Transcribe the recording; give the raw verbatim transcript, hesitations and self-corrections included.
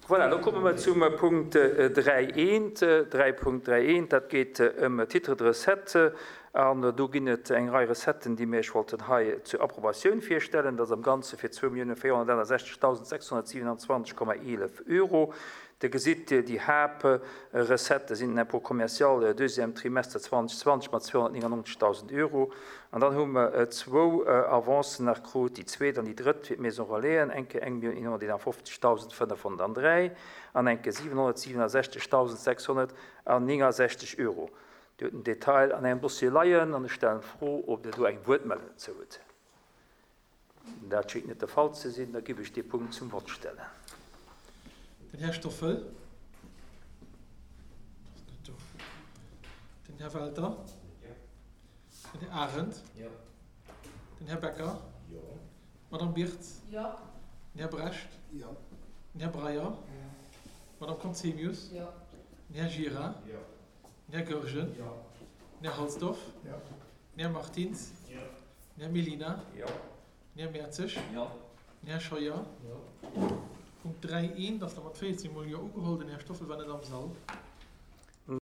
Voilà, lo komme mer zum Punkt dräi eent, dräi Punkt dräi eent, dat geet ëm Titres de recettes. An do ginn et eng Rei Recetten, déi mir Iech wollten hei zur Approbatioun virstellen. Dat ass am Ganze fir zwou Milliounen véierhonnertaachundsechzegdausend sechshonnertsiewenundzwanzeg Komma eelef Euro. Dir gesitt, déi Haaptrecettë sinn den Impôt commercial deuxième trimestre zweitausendzwanzeg mat zweihunnertneunundneunzigtausend Euro. An dann hu mer zwou Avancen nach krut, déi zweet an déi drëtt fir d'Maison Relaisen, eng Kéier eng Millioun eenhonnerteenundfünfzigtausend fënnefhonnertdräi an eng Kéier siewenhonnertsiewenundsechzigtausend sechshonnertneunundsechzig Euro. Dir hutt den Detail an engem Dossier leien an ech stellen d'Fro, ob Dir do eng Wuertmeldung dozou hutt. Dat schéngt net de Fall ze sinn, da giff ech dee Punkt zum Vott stellen. Den Här Stoffel. Ass net do. Den Här Welter. Jo. Den Här Arendt. Jo. Den Här Becker. Jo. D'Madame Birtz. Jo. Den Här Brecht. Jo. Den Här Breyer. D'Madame Conzemius. Jo. Den Här Gira. Jo. Den Här Goergen. Jo. Den Här Halsdorf. Jo. Den Här Martins. Jo. Den Här Mellina. Jo. Den Här Mertzig. Jo. Den Här Scheuer. Jo. Punkt dräi eent ass da mat véierzeg mol Jo ugeholl. Den Här Stoffel war net am Sall.